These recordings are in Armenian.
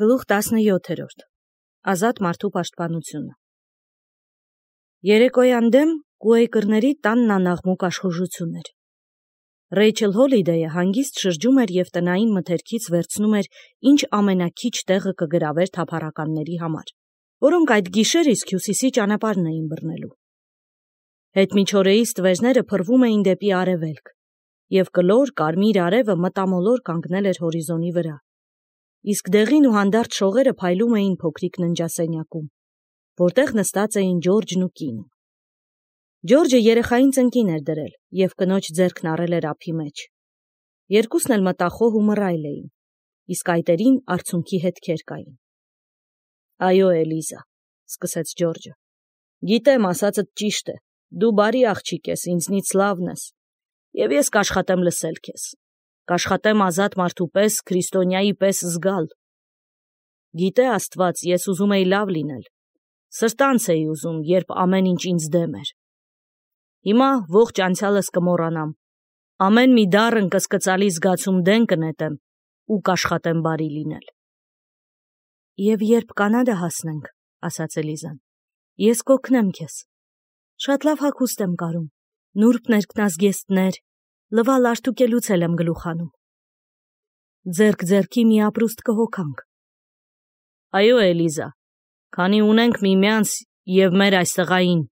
Գլուխ 17. Ազատ մարդու պաշտպանությունը։ Երեկոյան դեմ Կուեյկերների տանն անաղմուկ աշխուժություն էր։ Ռեյչել Հոլիդեյը հանգիստ շրջում էր և տնային մթերքից վերցնում էր ինչ ամենաքիչ տեղը կգրավեր թափառականների համար, որոնք այդ գիշեր իսկ հյուսիսի ճանապարհն էին բռնելու։ Հետմիջօրեի ստվերները փռվում էին դեպի արևելք, և կլոր կարմիր արևը մտամոլոր կանգնել էր հորիզոնի վրա, իսկ դեղին ու հանդարտ շողերը փայլում էին փոքրիկ ննջասենյակում, որտեղ նստած էին Ջորջն ու կինը։ Ջորջը երեխային ծնկին էր դրել և կնոջ ձեռքն առել էր ափի մեջ։ Երկուսն էլ մտախոհ ու մռայլ էին, իսկ այտերին արցունքի հետքեր կային։ Այո, Էլիզա, սկսեց Ջորջը, գիտեմ, ասածդ ճիշտ է, դու բարի աղջիկ ես, ինձնից լավն ես, և ես կաշխատեմ լսել քեզ, կաշխատեմ ազատ մարդու պես, քրիստոնյայի պես զգալ։ Գիտե Աստված, ես ուզում էի լավ լինել, սրտանց էի ուզում, երբ ամեն ինչ ինձ դեմ էր։ Հիմա ողջ անցյալս կմոռանամ, ամեն մի դառն կսկծալի զգացում դեն կնետեմ ու կաշխատեմ բարի լինել։ Եվ երբ Կանադա հասնենք, ասաց Էլիզան, ես կօգնեմ քեզ։ Շատ լավ հագուստ եմ կարում, նուրբ ներքնազգեստներ, լվալ արտուկելուց էլ եմ գլուխանում։ Ձեռք ձեռքի մի ապրուստ կհոգանք։ Այո, Էլիզա, քանի ունենք միմյանց և մեր այս տղային։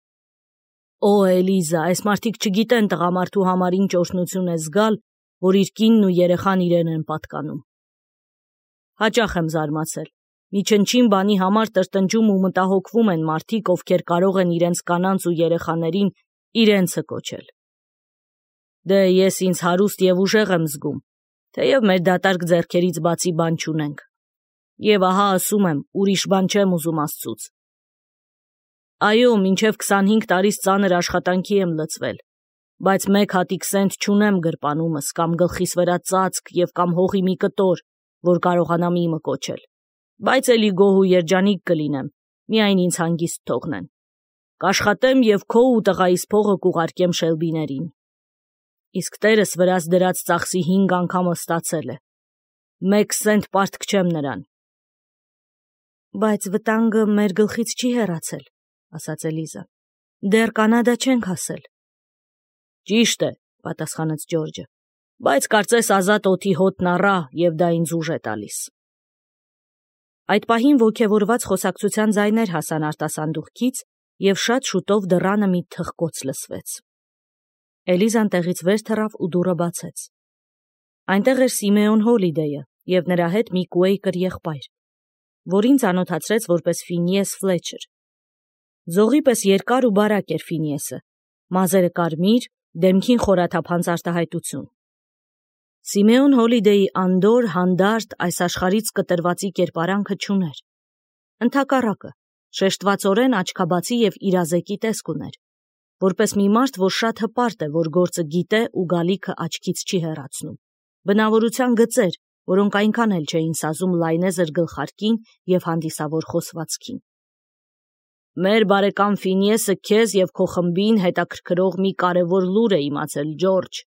Օ, Էլիզա, այս մարդիկ չգիտեն տղամարդու համար ինչ օրհնություն է զգալ, որ իր կինն ու երեխան իրեն են պատկանում։ Հաճախ եմ զարմացել, մի չնչին բանի համար տրտնջում ու մտահոգվում են մարդիկ, ովքեր կարող են իրենց կանանց ու երեխաներին իրենցը կոչել։ Դե ես ինձ հարուստ և ուժեղ եմ զգում, թեև մեր դատարկ ձեռքերից բացի բան չունենք։ Եվ ահա ասում եմ, ուրիշ բան չեմ ուզում Աստծուց։ Այո, մինչև 25 տարիս ծանր աշխատանքի եմ լծվել, բայց մեկ հատիկ սենտ չունեմ գրպանումս, կամ գլխիս վրա ծածկ և կամ հողի մի կտոր, որ կարողանամ իմը կոչել, բայց էլի գոհ ու երջանիկ կլինեմ, միայն ինձ հանգիստ թողնեն։ Կաշխատեմ և քո ու տղայիս փողը կուղարկեմ Շելբիներին։ Իսկ տերս վրաս դրած ծախսի 5 անգամը ստացել է։ 1 սենտ պարտք չեմ նրան։ Բայց վտանգը մեր գլխից չի հեռացել, ասաց Էլիզան, դեռ Կանադա չենք հասել։ Ճիշտ է, պատասխանեց Ջորջը, բայց կարծես ազատ օդի հոտն առա և դա ինձ ուժ է տալիս։ Այդ պահին ոգևորված խոսակցության ձայներ հասան արտասանդուղքից և շատ շուտով դռանը մի թխկոց լսվեց։ Էլիզան տեղից վեր թռավ ու դուռը բացեց։ Այնտեղ էր Սիմեոն Հոլիդեյը և նրա հետ մի Կուեյկեր եղբայր, որին ծանոթացրեց որպես Ֆինիես Ֆլեչեր։ Ձողի պես երկար ու բարակ էր Ֆինիեսը, մազերը կարմիր, դեմքին խորաթափանց արտահայտություն։ Սիմեոն Հոլիդեյի անդոր, հանդարտ, այս աշխարհից կտրվածի կերպարանքը չուներ։ Ընդհակառակը, շեշտվածորեն աչքաբացի և իրազեկի տեսք ուներ, որպես մի մարդ, որ շատ հպարտ է, որ գործը գիտե ու գալիքը աչքից չի հեռացնում, բնավորության գծեր, որոնք այնքան էլ չէին սազում լայնեզր գլխարկին և հանդիսավոր խոսվածքին։ Մեր բարեկամ Ֆինիեսը քեզ և քո խմբին հետաքրքրող մի կարևոր լուր է իմացել, Ջորջ,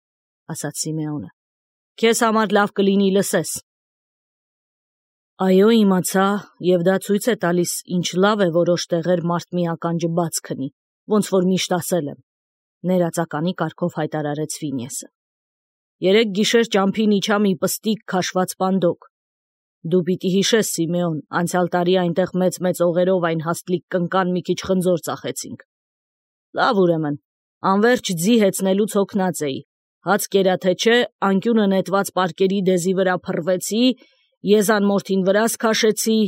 ասաց Սիմեոնը։ Քեզ համար լավ կլինի լսես։ Այո, իմացա, և դա ցույց է տալիս, ինչ լավ է որոշ տեղեր մարդ մի ականջը բաց քնի, ոնց որ միշտ ասել եմ, ներածականի կարգով հայտարարեց Ֆինիեսը։ Երեկ գիշեր ճամփին իջա մի պստիկ քաշված պանդոկ։ Դու պիտի հիշես, Սիմեոն, անցյալ տարի այնտեղ մեծ օղերով այն հաստլիկ կնկան մի քիչ խնձոր ծախեցինք։ Լավ ուրեմն, անվերջ ձի հեծնելուց հոգնած էի, հաց կերա թե չէ, անկյունը նետված պարկերի դեզի վրա փռվեցի, եզան մորթին վրաս քաշեցի,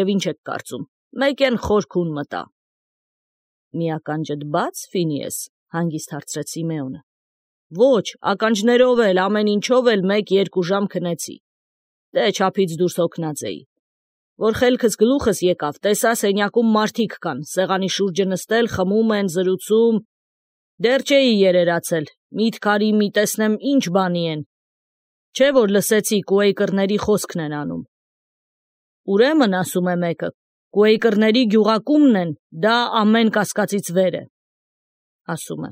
և ինչ եք կարծում, մեկեն խոր քուն մտա։ Մի ականջդ բա՞ց, Ֆինիես, հանգիստ հարցրեց Սիմեոնը։ Ոչ, ականջներով էլ, ամեն ինչով էլ 1-2 ժամ քնեցի։ Դե չափից դուրս հոգնած էի։ Որ խելքս գլուխս եկավ, տեսա սենյակում մարդիկ կան, սեղանի շուրջը նստել, խմում են, զրուցում։ Դեռ չէի երերացել, միտք արի մի տեսնեմ ինչ բանի են։ Չէ որ լսեցի Կուեյկերների խոսքն են անում։ Ուրեմն, ասում է մեկը, Կուեյկերների գյուղակումն են, դա ամեն կասկածից վեր է, ասում է։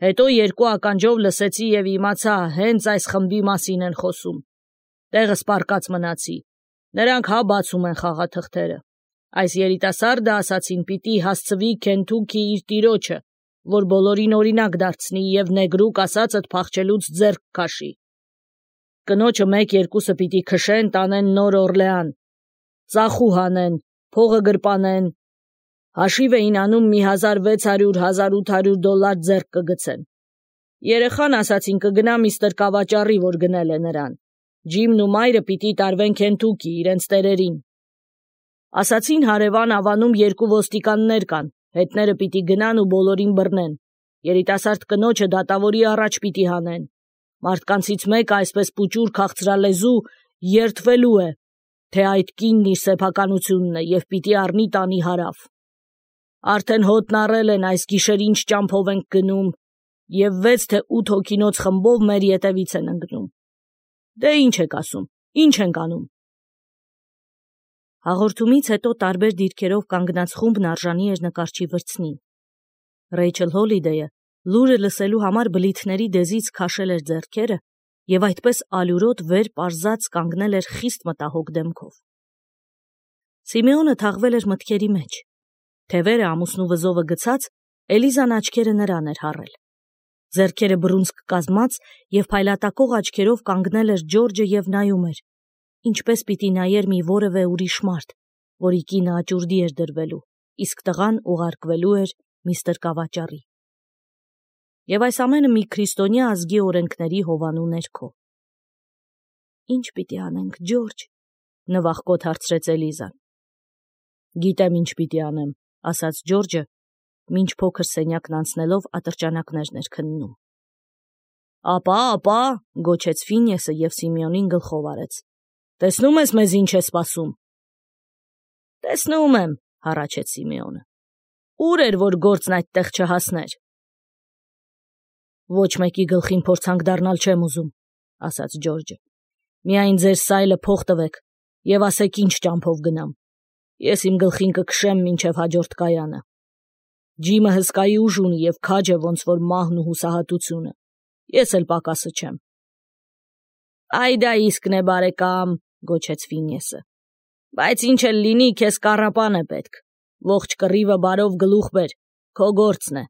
Հետո 2 ականջով լսեցի և իմացա, հենց այս խմբի մասին են խոսում։ Տեղս պառկած մնացի։ Նրանք հա բացում են խաղաթղթերը։ Այս երիտասարդը ասացին պիտի հասցվի Քենթուքի իր տիրոջը, որ բոլորին օրինակ դարձնի և նեգրուկ ասածդ փախչելուց ձեռք քաշի։ Կնոջը 1-2-ը պիտի քշեն, տանեն Նոր Օրլեան, ծախու հանեն, փողը գրպանեն, հաշիվ էին անում մի $1600-1800 ձեռք կգցեն։ Երեխան ասացին կգնա միստր Կավաճառի, որ գնել է նրան։ Ջիմն ու մայրը պիտի տարվեն Քենթուքի, իրենց տերերին։ Ասացին հարևան ավանում 2 ոստիկաններ կան, հետները պիտի գնան ու բոլորին բռնեն։ Երիտասարդ կնոջը դատավորի առաջ պիտի հանեն։ Մարդկանցից մեկը այսպես պուճուր քաղցրալեզու երդվելու է, թե այդ կինն իր սեփականությունն է և պիտի առնի տանի հարավ։ Արդեն հոտն առել են այս գիշեր ինչ ճամփով ենք գնում և 6 թե 8 հոգինոց խմբով մեր ետևից են ընկնում։ Դե ինչ եք ասում, ինչ ենք անում։ Հաղորդումից հետո տարբեր դիրքերով կանգնած խումբն արժանի էր նկարչի վրձնին։ Ռեյչել Հոլիդեյը լուրը լսելու համար բլիթների դեզից քաշել էր ձեռքերը և այդպես ալյուրոտ վեր պարզած կանգնել էր խիստ մտահոգ դեմքով։ Սիմեոնը թաղվել էր մտքերի մեջ։ Թևերը ամուսնու վզովը գցած, Էլիզան աչքերը նրան էր հառել։ Ձեռքերը բռունցք կազմած և փայլատակող աչքերով կանգնել էր Ջորջը և նայում էր, ինչպես պիտի նայեր մի որևէ ուրիշ մարդ, որի կինը աճուրդի էր դրվելու, իսկ տղան ուղարկվելու էր միստր Կավաճառի։ Եվ այս ամենը մի քրիստոնյա ազգի օրենքների հովանու ներքո։ Ինչ պիտի անենք, Ջորջ, նվախկոտ հարցրեց Էլիզան։ Գիտեմ ինչ պիտի անեմ, ասաց Ջորջը, մինչ փոքր սենյակն անցնելով ատրճանակներն էր քննում։ Ապա, գոչեց Ֆինյեսը և Սիմեոնին գլխով արեց։ Տեսնում ես մեզ ինչ է սպասում։ Տեսնում եմ, հառաչեց Սիմեոնը։ Ուր էր, որ գործն այդտեղ չհասներ։ Ոչ մեկի գլխին փորձանք դառնալ չեմ ուզում, ասաց Ջորջը։ Միայն ձեր սայլը փող տվեք և ասեք ինչ ճամփով գնամ։ Ես իմ գլխին կքշեմ մինչև հաջորդ կայանը։ Ջիմը հսկայի ուժ ունի և քաջ է ոնց որ մահն ու հուսահատությունը։ Ես էլ պակասը չեմ։ Այ դա իսկն է, բարեկամ, գոչեց Ֆինյեսը։ Բայց ինչ էլ լինի, քեզ կառապան է պետք։ Ողջ կռիվը բարով գլուխ բեր, քո գործն է։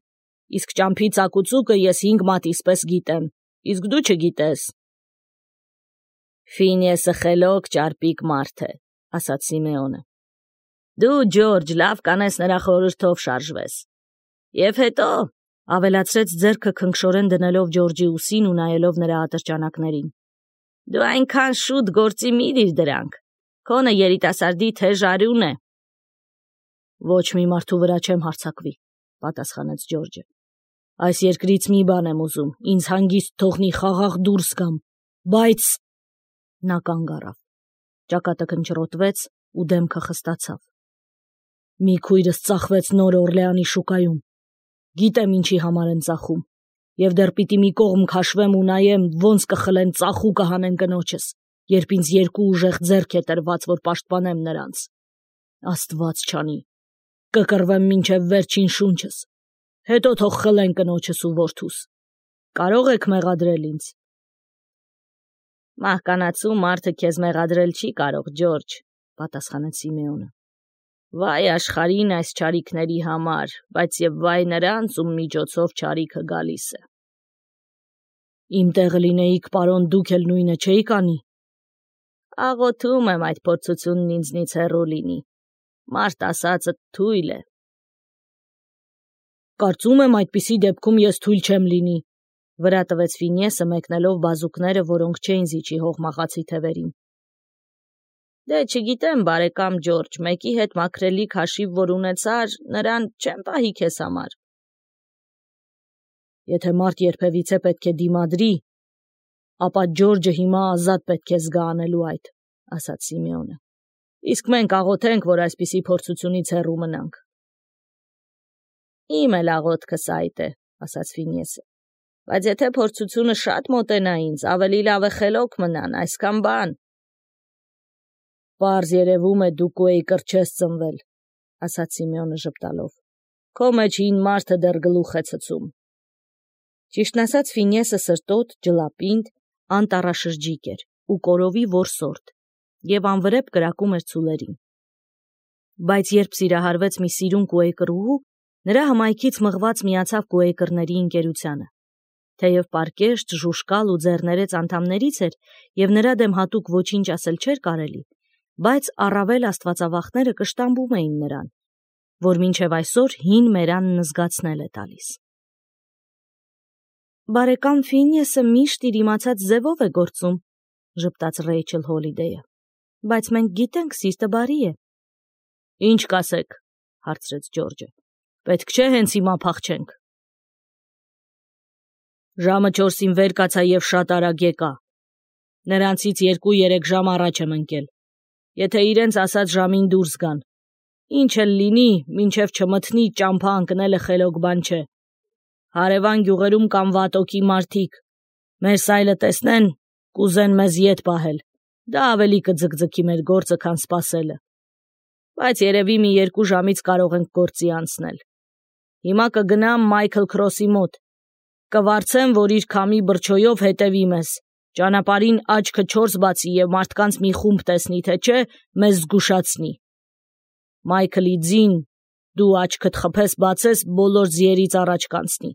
Իսկ ճամփի ծակուցուկը ես 5 մատից պես գիտեմ, իսկ դու չգիտես։ Ֆինյեսը խելոք ճարպիկ մարդ է, ասաց Սիմեոնը։ Դու, Ջորջ, լավ կանես նրա խորհրդով շարժվես։ Եվ հետո, ավելացրեց ձեռքը քնքշորեն դնելով Ջորջի ուսին ու նայելով նրա ատրճանակներին։ Դու այնքան շուտ գործի մի դիր դրանք։ Քոնը երիտասարդի թեժ արյուն է։ Ոչ մի մարդու վրա չեմ հարձակվի, պատասխանեց Ջորջը։ Այս երկրից մի բան եմ ուզում, ինձ հանգիստ թողնի խաղաղ դուրս գամ, բայց… Նա կանգ առավ։ Ճակատը քնչռոտվեց ու դեմքը խստացավ։ Մի քույրս ծախվեց Նոր Օրլեանի շուկայում։ Գիտեմ ինչի համար են ծախում, և դեռ պիտի մի կողմ քաշվեմ ու նայեմ, ոնց կխլեն ծախու կհանեն կնոջս, երբ ինձ 2 ուժեղ ձեռք է տրված, որ պաշտպանեմ նրանց։ Աստված չանի, կկռվեմ մինչև վերջին շունչս, հետո թող խլեն կնոջս ու որդուս։ Կարող եք մեղադրել ինձ։ Մահկանացու մարդը քեզ մեղադրել չի կարող, Ջորջ, պատասխանեց Սիմեոնը։ Վայ աշխարհին այս չարիքների համար, բայց և վայ նրանց, ում միջոցով չարիքը գալիս է։ Իմ տեղը լինեիք, պարոն, դուք էլ նույնը չէիք անի։ Աղոթում եմ այդ փորձությունն ինձնից հեռու լինի։ Մարդ ասածը թույլ է։ Կարծում եմ այդպիսի դեպքում ես թույլ չեմ լինի, վրա տվեց Ֆինյեսը մեկնելով բազուկները, որոնք չէին զիջի հողմախացի թևերին։ Դե չգիտեմ, բարեկամ Ջորջ, մեկի հետ մաքրելիք հաշիվ որ ունեցար, նրան չեմ պահի քեզ համար։ Եթե մարդ երբևիցե պետք է դիմադրի, ապա Ջորջը հիմա ազատ պետք է զգա անելու այդ, ասաց Սիմեոնը։ Իսկ մենք աղոթենք, որ այսպիսի փորձությունից հեռու մնանք։ Իմ էլ աղոթքս այդ է, ասաց Ֆինյեսը։ Բայց եթե փորձությունը շատ մոտենա ինձ, ավելի լավ է խելոք մնան, այսքան բան։ Պարզ երևում է դու Կուեյկր չես ծնվել, ասաց Սիմեոնը ժպտալով։ Քո մեջ հին մարդը դեռ գլուխ է ցցում։ Ճիշտն ասած Ֆինյեսը սրտոտ, ջլապինդ, անտառաշրջիկ էր ու կորովի որսորդ, և անվրեպ կրակում էր ցուլերին։ Բայց երբ սիրահարվեց մի սիրուն կուեյկրուհու, նրա հմայքից մղված միացավ կուեյկրների ընկերությանը։ Թեև պարկեշտ, ժուշկալ ու ձեռներեց անդամներից էր, և նրա դեմ հատուկ ոչինչ ասել չէր կարելի, բայց առավել աստվածավախները կշտամբում էին նրան, որ մինչև այսօր հին մերանն զգացնել է տալիս։ «Բարեկամ Ֆինյեսը միշտ իր իմացած ձևով է գործում», ժպտաց Ռեյչել Հոլիդեյը, «բայց մենք գիտենք, սիրտը բարի է»։ «Ինչ կասեք», հարցրեց Ջորջը, «պետք չէ հենց հիմա փախչենք»։ Ժամը 4-ին վեր կացա և շատ արագ եկա։ Նրանցից 2-3 ժամ առաջ եմ ընկել։ Եթե իրենց ասած ժամին դուրս գան, ինչ էլ լինի, մինչև չմթնի, ճամփա ընկնելը խելոք բան չէ։ Հարևան գյուղերում կան վատոքի մարդիկ, մեր սայլը տեսնեն, կուզեն մեզ ետ պահել, դա ավելի կձգձգի մեր գործը, քան սպասելը։ Բայց երևի մի 2 ժամից կարող ենք գործի անցնել։ Հիմա կգնամ Մայքլ Քրոսի մոտ, կվարձեմ, որ իր քամի բրջոյով հետևի մեզ, ճանապարհին աչքը 4 բացի և մարդկանց մի խումբ տեսնի, թե չէ, մեզ զգուշացնի։ Մայքլի ձին, դու աչքդ խփես բացես, բոլոր ձիերից առաջ կանցնի,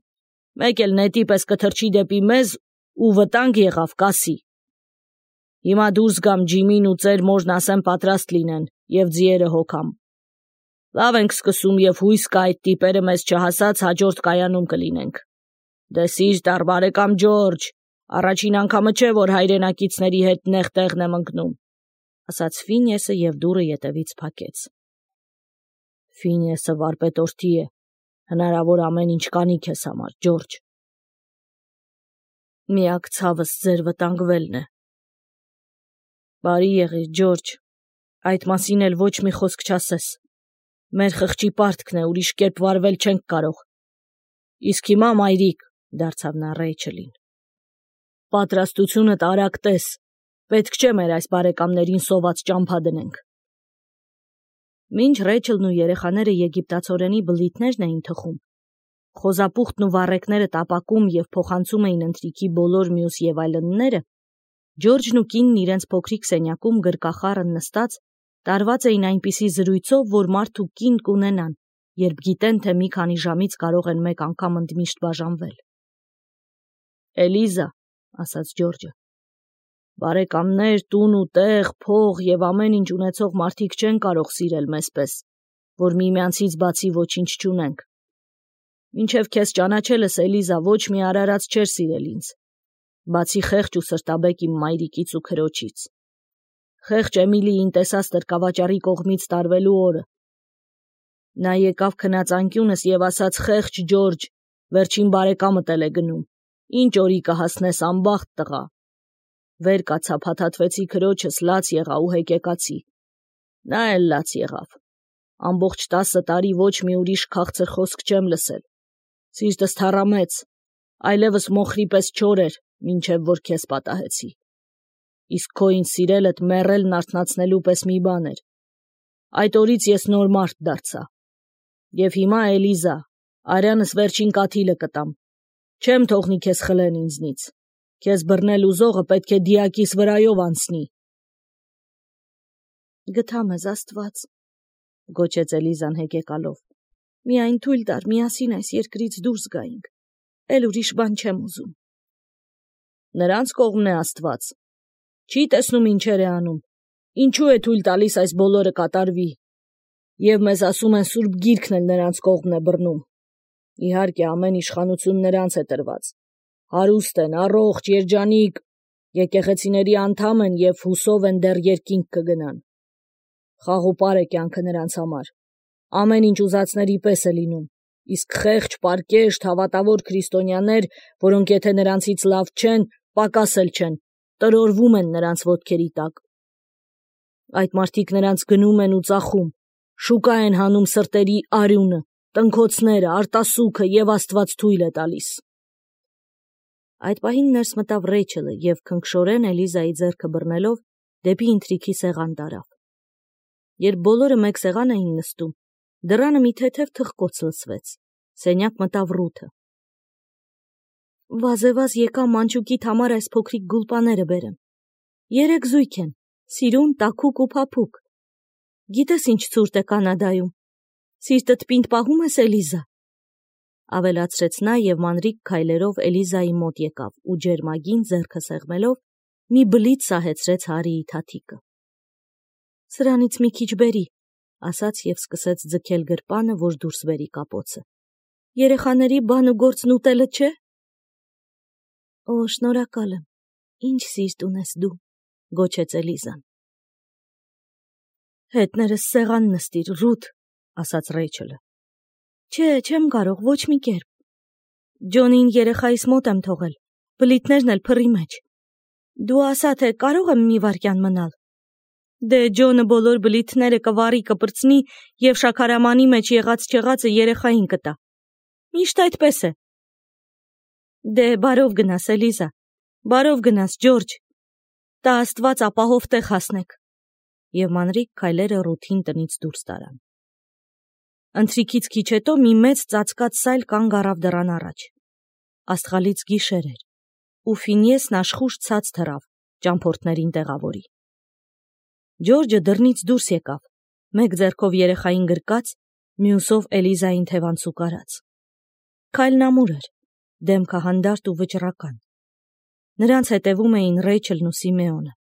մեկ էլ նետի պես կթռչի դեպի մեզ ու վտանգ եղավ, կասի։ Հիմա դուրս գամ Ջիմին ու ծեր մորն ասեմ պատրաստ լինեն և ձիերը հոգամ։ Լավ ենք սկսում և հույս կա այդ տիպերը մեզ չհասած հաջորդ կայանում կլինենք։ Դե սիրտ առ բարեկամ Ջորջ, առաջին անգամը չէ, որ հայրենակիցների հետ նեղ տեղն եմ ընկնում, ասաց Ֆինյեսը և դուռը ետևից փակեց։ Ֆինյեսը վարպետորդի է, հնարավոր ամեն ինչ կանի քեզ համար, Ջորջ։ Միակ ցավս ձեր վտանգվելն է։ Բարի եղիր, Ջորջ, այդ մասին էլ ոչ մի խոսք չասես։ Մեր խղճի պարտքն է, ուրիշ կերպ վարվել չենք կարող։ Իսկ հիմա, մայրիկ, դարձավ նա Ռեյչելին, պատրաստությունդ արագ տես, պետք չէ մեր այս բարեկամներին սոված ճամփա դնենք։ Մինչ Ռեյչելն ու երեխաները եգիպտացորենի բլիթներն էին թխում, խոզապուխտն ու վառեկները տապակում և փոխանցում էին ընթրիքի բոլոր մյուս և այլնները, Ջորջն ու կինն իրենց փոքրիկ սենյակում գրկախառն նստած տարված էին այնպիսի զրույցով, որ մարդ ու կին կունենան, երբ գիտեն, թե մի քանի ժամից կարող են մեկ անգամ ընդմիշտ բաժանվել։ Էլիզա, ասաց Ջորջը, բարեկամներ, տուն ու տեղ, փող և ամեն ինչ ունեցող մարդիկ չեն կարող սիրել մեզպես, որ միմյանցից բացի ոչինչ չունենք։ Մինչև քեզ ճանաչելս, Էլիզա, ոչ մի արարած չէր սիրել ինձ, բացի խեղճ ու սրտաբեկ իմ մայրիկից ու քրոջից։ Խեղճ Էմիլիին տեսած տրկավաճառի կողմից տարվելու օրը։ Նա եկավ քնած անկյունս և ասաց. «Խեղճ Ջորջ, վերջին բարեկամդ էլ է գնում, ինչ օրի կհասնես, անբախտ տղա»։ Վեր կացա, փաթաթվեցի քրոջս, լաց եղա ու հեկեկացի։ Նա էլ լաց եղավ։ Ամբողջ 10 տարի ոչ մի ուրիշ քաղցր խոսք չեմ լսել։ Սիրտս թառամեց, այլևս մոխրի պես չոր էր, մինչև որ քեզ պատահեցի։ Իսկ քո ինձ սիրելդ մեռելն արթնացնելու պես մի բան էր։ Այդ օրից ես նոր մարդ դարձա։ Եվ հիմա, Էլիզա, արյանս վերջին կաթիլը կտամ։ Չեմ թողնի քեզ խլեն ինձնից։ Քեզ բռնել ուզողը պետք է դիակիս վրայով անցնի։ Գթա մեզ Աստված, գոչեց Էլիզան հեկեկալով։ Միայն թույլ տար միասին այս երկրից դուրս գայինք։ Էլ ուրիշ բան չեմ ուզում։ Նրանց կողմն է Աստված։ Չի տեսնում ինչեր է անում։ Ինչու է թույլ տալիս այս բոլորը կատարվի։ Եվ մեզ ասում են Սուրբ Գիրքն էլ նրանց կողմն է բռնում։ Իհարկե, ամեն իշխանություն նրանց է տրված։ Հարուստ են, առողջ, երջանիկ, եկեղեցիների անդամ են և հուսով են դեռ երկինք կգնան։ Խաղ ու պար է կյանքը նրանց համար։ Ամեն ինչ ուզածների պես է լինում, իսկ խեղճ, պարկեշտ, հավատավոր քրիստոնյաներ, որոնք եթե նրանցից լավ չեն, պակաս էլ չեն, տրորվում են նրանց ոտքերի տակ։ Այդ մարդիկ նրանց գնում են ու ծախում, շուկա են հանում սրտերի արյունը, տնքոցները, արտասուքը և Աստված թույլ է տալիս։ Այդ պահին ներս մտավ Ռեյչելը և քնքշորեն Էլիզայի ձեռքը բռնելով դեպի ընթրիքի սեղան տարավ։ Երբ բոլորը մեկ սեղան էին նստում, դռանը մի թեթև թխկոց լսվեց։ Սենյակ մտավ Ռութը։ Վազեվազ եկա մանչուկիդ համար այս փոքրիկ գուլպաները բերեմ։ 3 զույգ են, Սիրուն, տաքուկ ու փափուկ։ Գիտես ինչ ցուրտ է Կանադայում։ Սիրտդ պինդ պահում ես, Էլիզա։ Ավելացրեց նա եւ մանրիկ քայլերով Էլիզայի մոտ եկավ ու ջերմագին ձեռքը սեղմելով մի բլիթ սահեցրեց Հարիի թաթիկը։ Սրանից մի քիչ բերի, ասաց եւ սկսեց ձգել գրպանը, որ դուրս բերի կապոցը։ Երեխաների բան ու գործն ուտելը չէ։ Օ, շնորհակալ եմ։ Ինչ սիրտ ունես դու, գոչեց Էլիզան։ Հետներս սեղան նստիր, Ռութ, ասաց Ռեյչելը։ Չէ, չեմ կարող, ոչ մի կերպ։ Ջոնին երեխայիս մոտ եմ թողել, բլիթներն էլ փռի մեջ։ Դու ասա, թե կարող եմ մի վայրկյան մնալ։ Դե Ջոնը բոլոր բլիթները կվառի կպրծնի եւ շաքարամանի մեջ եղած չեղածը երեխային կտա։ Միշտ այդպես է։ Դե բարով գնաս, Էլիզա, բարով գնաս, Ջորջ։ Տա Աստված ապահով տեղ հասնեք։ Եվ մանրիկ քայլերը Ռութին տնից դուրս տարան։ Ընթրիքից քիչ հետո մի մեծ ծածկած սայլ կանգ առավ դռան առաջ։ Աստղալից գիշեր էր, ու Ֆինիեսն աշխուժ ցած թռավ, ճամփորդներին տեղավորի։ Ջորջը դռնից դուրս եկավ, մեկ ձեռքով երեխային գրկած, մյուսով Էլիզային թևանցուկ արած։ Քայլն ամուր էր, դեմքը հանդարտ ու վճռական։ Նրանց հետևում էին Ռեյչելն ու Սիմեոնը։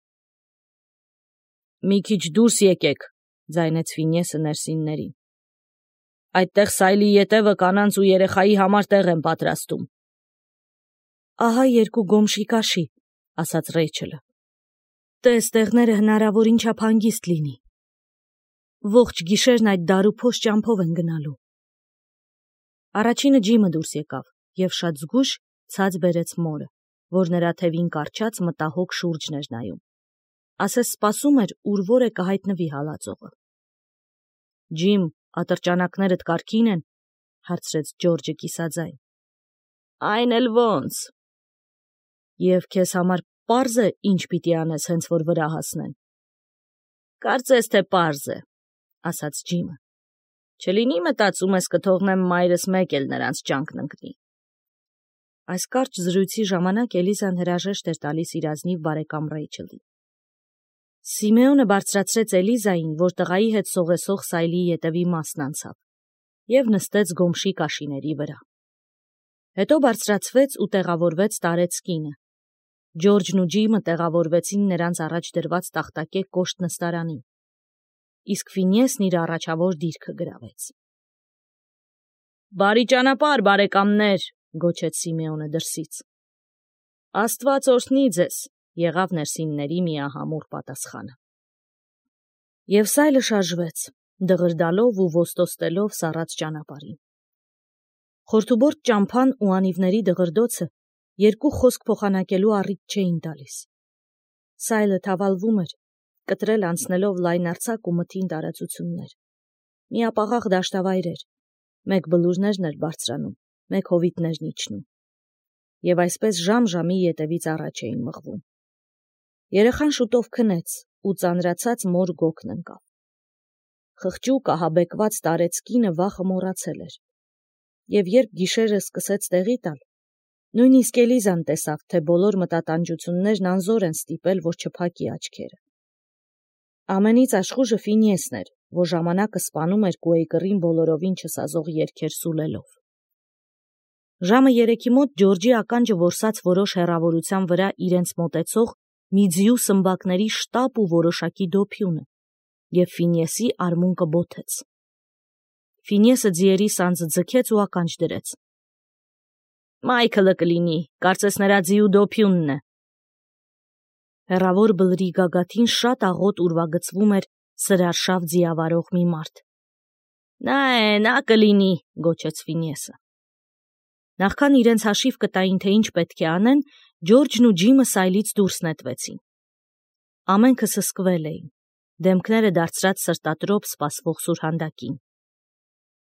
Մի քիչ դուրս եկեք, ձայնեց Ֆինիեսը ներսիններին։ Այդտեղ սայլի ետևը կանանց ու երեխայի համար տեղ են պատրաստում։ Ահա երկու գոմշի կաշի, ասաց Ռեյչելը։ Տես տեղները հնարավորին չափ հանգիստ լինի։ Ողջ գիշերն այդ դարուփոշ ճամփով են գնալու։ Առաջինը Ջիմը դուրս եկավ եւ շատ զգույշ ցած բերեց մորը, որ նրա թևին կարճած մտահոգ շուրջն էր նայում։ Ասես սպասում էր, ուր որ է կհայտնվի հալածողը։ Ջիմ, ատրճանակներդ կարգին են, հարցրեց Ջորջը կիսաձայն։ Այն էլ ոնց։ Եվ քեզ համար պարզ է, ինչ պիտի անես, հենց որ վրա հասնեն։ Կարծես թե պարզ է, ասաց Ջիմը։ Չլինի մտածում ես կթողնեմ մայրս մեկ էլ նրանց ճանկն ընկնի։ Այս կարճ զրույցի ժամանակ Էլիզան հրաժեշտ էր տալիս իր ազնիվ բարեկամ Ռեյչելին։ Սիմեոնը բարձրացրեց Էլիզային, որ տղայի հետ սողեսող սայլի ետևի մասն անցավ, եւ նստեց գոմշի կաշիների վրա։ Հետո բարձրացվեց ու տեղավորվեց տարեց կինը։ Ջորջն ու Ջիմը տեղավորվեցին նրանց առաջ դրված տախտակե կոշտ նստարանին, իսկ Ֆինիեսն իր առաջավոր դիրքը գրավեց։ Բարի ճանապարհ, բարեկամներ, գոչեց Սիմեոնը դրսից։ Աստված օրհնի ձեզ, եղավ ներսինների միահամուռ պատասխանը։ Եվ սայլը շարժվեց, դղրդալով ու ոստոստելով սառած ճանապարհին։ Խորթուբորտ ճամփան ու անիվների դղրդոցը երկու խոսք փոխանակելու առիթ չէին տալիս։ Սայլը թավալվում էր, կտրել անցնելով լայնարձակ ու մթին տարածություններ։ Միապաղաղ դաշտավայր էր, մեկ բլուրներն էր բարձրանում, մեկ հովիտներն իջնում։ Եվ այսպես ժամ-ժամի ետևից առաջ էին մղվում։ Երեխան շուտով քնեց ու ծանրացած մոր գոգն ընկավ։ Խղճուկ ահաբեկված տարեց կինը վախը մոռացել էր։ Եվ երբ գիշերը սկսեց տեղի տալ, նույնիսկ Էլիզան տեսավ, թե բոլոր մտատանջություններն անզոր են ստիպել, որ չփակի աչքերը։ Ամենից աշխուժը Ֆինիեսն էր, որ ժամանակը սպանում էր Կուեյկերին բոլորովին չսազող երգեր սուլելով։ Ժամը 3-ի մոտ Ջորջի ականջը որսաց որոշ հեռավորության վրա իրենց մոտեցող մի ձիու սմբակների շտապ ու որոշակի դոփյունը, եւ Ֆինիեսի արմունկը բոթեց։ Ֆինիեսը ձիերի սանձը ձգեց ու ականջ դրեց։ Մայքլը կլինի, կարծես նրա ձիու դոփյունն է։ Հեռավոր բլրի գագաթին շատ աղոտ ուրվագծվում էր սրարշավ ձիավարող մի մարդ։ Նա է, նա կլինի, գոչեց Ֆինիեսը։ Նախքան իրենց հաշիվ կտային, թե ինչ պետք է անեն, Ջորջն ու Ջիմը սայլից դուրս նետվեցին։ Ամենքը սսկվել էին, դեմքները դարձրած սրտատրոփ սպասվող սուրհանդակին։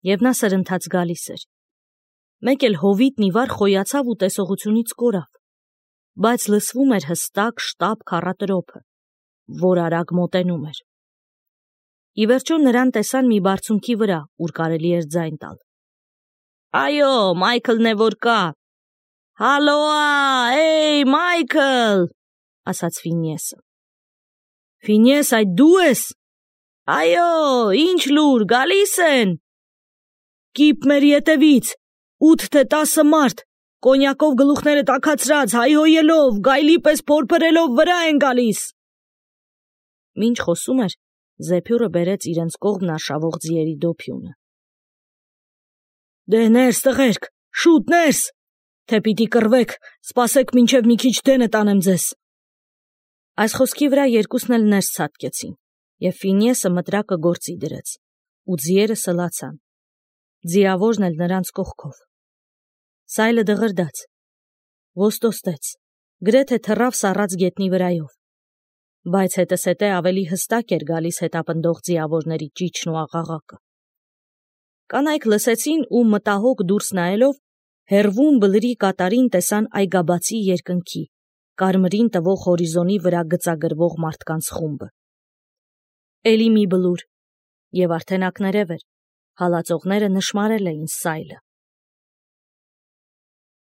Եվ նա սրընթաց գալիս էր։ Մեկ էլ հովիտն ի վար խոյացավ ու տեսողությունից կորավ, բայց լսվում էր հստակ շտապ քառատրոփը, որ արագ մոտենում էր։ Ի վերջո նրան տեսան մի բարձունքի վրա, ուր կարելի էր ձայն տալ։ Այո, Մայքլն է որ կա։ Հալոա, էй, Մայքլ, ասաց Ֆինիեսը։ Ֆինես, այդ դու ես։ Այո, ինչ լուր, գալիս են։ Կիպ մեր ետևից, 8 թե 10 մարդ, կոնյակով գլուխները տաքացրած, հայհոյելով, գայլի պես փորփրելով վրա են գալիս։ Մինչ խոսում էր, Զեփյուրը բերեց իրենց կողմն արշավող ձիերի դոփյունը։ Դե ներս տղերք, շուտ ներս, թե պիտի կռվեք, սպասեք մինչև մի քիչ դենը տանեմ ձեզ։ Այս խոսքի վրա երկուսն էլ ներս ցատկեցին, եւ Ֆինիեսը մտրակը գործի դրեց, ու ձիերը սլացան։ Ձիավորն էլ նրանց կողքով։ Սայլը դղրդաց, ոստոստեց, գրեթե թռավ սառած գետնի վրայով, բայց հետզհետե ավելի հստակ էր գալիս հետապնդող ձիավորների ճիչն ու աղաղակը։ Կանայք լսեցին ու մտահոգ դուրս նայելով հեռվում բլրի կատարին տեսան այգաբացի երկնքի, կարմրին տվող հորիզոնի վրա գծագրվող մարդկանց խումբը։ Էլի մի բլուր, եւ արդեն ակներև էր, հալածողները նշմարել էին Սայլը։